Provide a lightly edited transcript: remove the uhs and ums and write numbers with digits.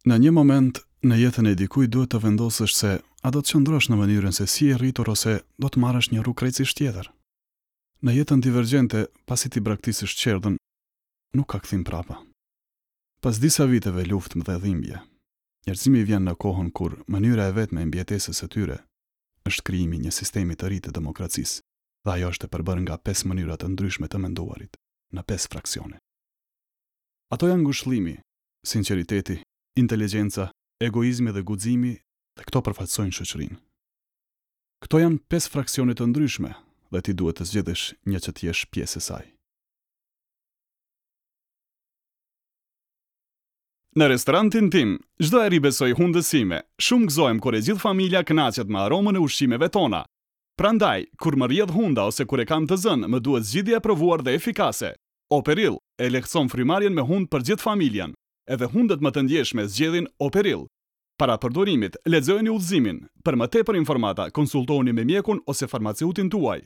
Në një moment në jetën e dikujt duhet të vendosësh se a do të qëndrosh në mënyrën se si je rritur ose do të marrësh një rrugë krejtësisht tjetër. Në jetën divergjente, pasi t'i braktisësh çerdhen, nuk ka kthim prapa. Pas disa viteve luftë dhe dhimbje, njerëzimi vjen në kohën kur mënyra e vetme e mbijetesës së tyre është krijimi i një sistemi të ri të demokracisë dhe ajo është e përbërë nga pesë mënyra të ndryshme të menduarit, në pesë fraksione. Ato janë ngushëllimi, sinqeriteti, inteligjenca, egoizmi dhe guximi dhe këto përfaqësojnë shoqërinë. Këto janë pesë fraksione të ndryshme dhe ti duhet të zgjedhësh një që të jesh pjesë e saj. Në restorantin tim, çdo herë i besoj hundës sime. Shumë gëzohem kur e gjithë familja kënaqet me aromën e ushqimeve tona. Prandaj, kur më rrjedh hunda ose kur e kam të zënë, më duhet zgjidhja e provuar dhe efikase. Operil, e lehtëson frymarrjen me hundë për gjithë familjen. Edhe hundët më të ndjeshme zgjedhin Operil. Para përdorimit, lexojeni udhëzimin. Për më tepër informata, konsultohuni me mjekun ose farmaceutin tuaj.